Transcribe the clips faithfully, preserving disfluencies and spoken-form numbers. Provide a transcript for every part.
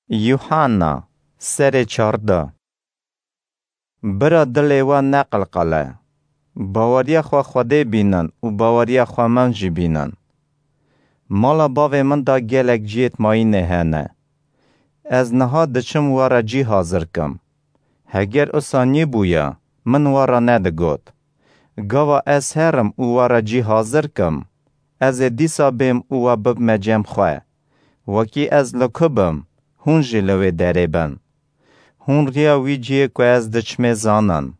Yuhanna, serê çardeh. Bira dilê we neqilqile. Baweriya xwe Xwedê bînin û baweriya xwe min jî bînin. Mala bavê min de gelek cihêt mayînê hene. Ez niha diçim we re cî hazir kim. Heger usa nîbûya, min we re nedigot. Gava ez herim û we re cî hazir kim, ez ê dîsa bêm û we bibime cem xwe. Wekî ez li ku bim, hûn jî li wê derê bin. Hûn riya wî cihê ku ez diçimê zanin.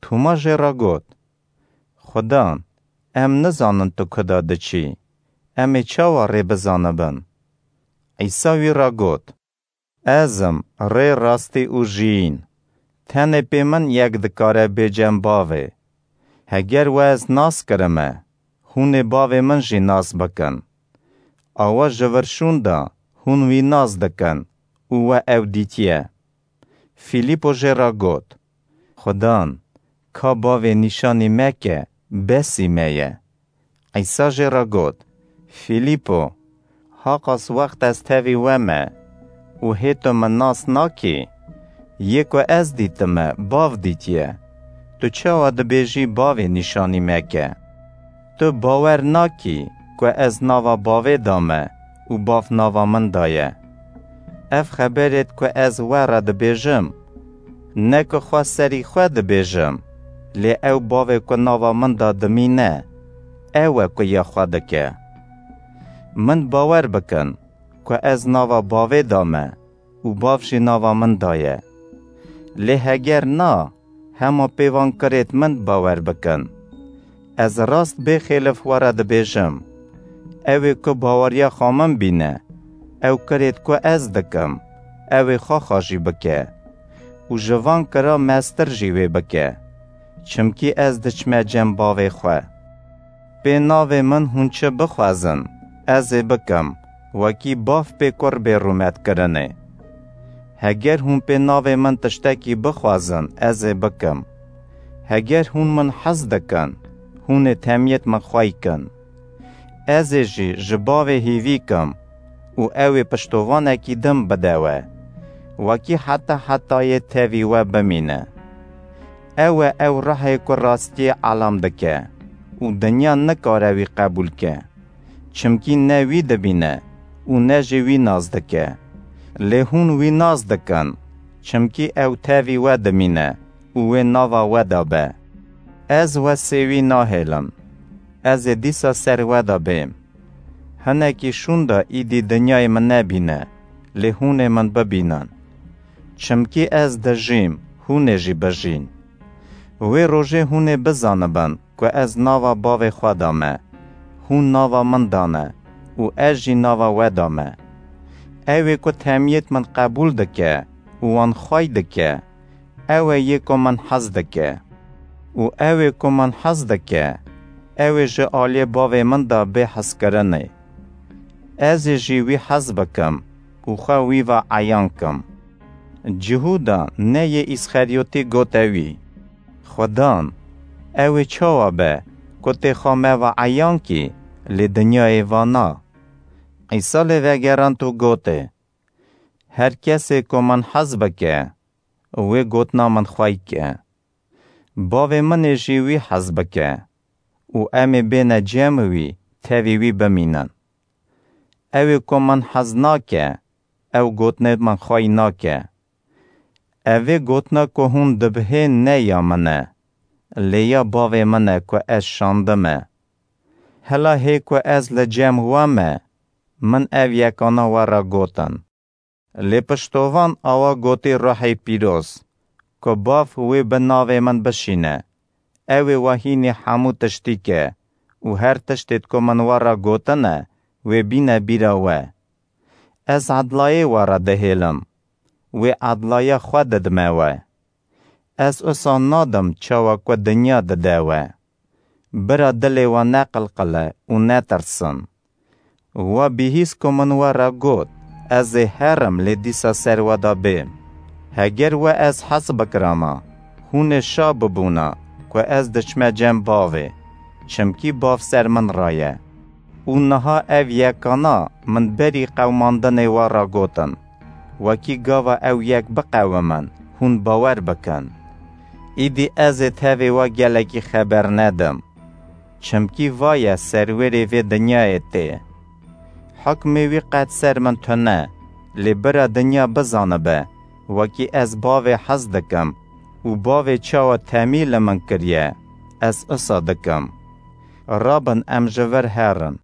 Tûma jê re got, Xudan, em nizanin tu ku de diçî, em ê çawa rê bizanibin? Îsa wî re got, Ez im rê, rastî û jiyîn. Tenê pê min yek dikare bê cem bavê. Heger we ez nas kirime, hûn ê bavê min jî nas bikin. Awa ji vir şûnda hûn wî nas dikin û we ew dîtiye. Fîlîpo jê re got, Xudan, ka bavê nîşanî me ke, besî me ye. Îsa jê re got, Fîlîpo, haqas wext ez tevî we me û hê tu min nas nakî? Yê ku ez dîtime, Bav dîtiye. Tu çawa dibêjî, Bavê nîşanî me ke? Tu bawer nakî ku ez nava Bavê da me û Bav nava min da ye? Ev xeberêt ku ez we re dibêjim, ne ku xwe serî xwe dibêjim, lê ew Bavê ku nava min da dimîne, ew e ku ya xwe dike. Min bawer bikin ku ez nava Bavê da me û Bav jî nava min da ye. Lê heger na, hema pê van kirêt min bawer bikin. Ez rast bêxêlif we re dibêjim, ew ê ku baweriya xwe min bîne, ew kirêt ku ez dikim, ew ê xwexa jî bike û ji van kira mestir jî wê bike, çimkî ez diçime cem Bavê xwe. Pê navê min hûn çi bixwazin, ez ê bikim, wekî Bav pê Kur bê rûmetkirinê. Heger hûn pê navê min tiştekî bixwazin, ez ê bikim. Heger hûn min hez dikin, hûn ê temiyêt min xwey kin. Ez ê jî ji Bavê hîvî kim û ew ê piştovanekî din bide we, wekî heta hetayê tevî we bimîne. Ew e ew Ruhê ku rastiyê elam dike û dinya nikare wî qebûl ke. Çimkî ne wî dibîne û ne jî wî nas dike. Lê hûn wî nas dikin, çimkî ew tevî we dimîne û wê nava we de be. Ez we sêwî nahêlim. Ez ê dîsa ser we de bêm. Hinekî şûnda îdî dinyayê min nebîne, lê hûn ê min bibînin. Çimkî ez dijîm, hûn ê jî bijîn. Wê rojê hûn ê bizanibin ku ez nava Bavê xwe da me, hûn nava min da ne û ez jî nava we da me. Ew ê ku temiyêt min qebûl dike û wan xwey dike, ew e yê ku min hez dike. Û ew ê ku min hez dike, ew ê ji aliyê Bavê min de bê hezkirinê. Ez ê jî wî hez bikim û xwe wî ve eyan kim. Cihûda, ne yê Îsxeryotî, gote wî, Xudan, ew ê çawa be ku tê xwe me ve eyan kî, lê dinyayê va na? Îsa lê vegerand û gotê, Her kesê ku min hez bike, wê gotina min xwey ke. Bavê min ê jî wî hez bike û em ê bêne cem wî, tevî wî bimînin. Ew ê ku min hez nake, ew gotinê min xwey nake. Evê gotina ku hûn dibihên ne ya min e, lê ya Bavê min e ku ez şandime. Hela hê ku ez li cem we me, min ev yekana we re gotin. Lê piştovan awa gotî Ruhê Pîroz, ku Bav wê bi navê min bişîne. Ew ê we hînî hemû tiştî ke û her tiştêt ku min we re gotine, wê bîne bîra we. Ez edlayê we re dihêlim, wê edlaya xwe didime we. Ez usa nadim çawa ku dinya dide we. Bira dilê we neqilqile û netirsin. We bihîst ku min we re got, ez ê herim lê dîsa ser we de bêm. Heger we ez hez bikirama, hûn ê şa bibûna ku ez diçime cem Bavê, çimkî Bav ser min re ye. Û niha ev yekana min berî qewimandinê we re gotin. wekî gava ew yek biqewimin, hûn bawer bikin. Îdî ez ê tevê we gelekî xeber nedim. Çimkî va ye serwêrê vê dinyayê tê. Hukmê wî qet ser min tune, lê bira dinya bizanibe, wekî ez bavê hez dikim û bavê çawa temî li min kiriye, ez isa dikim. Rabin em ji vir herin.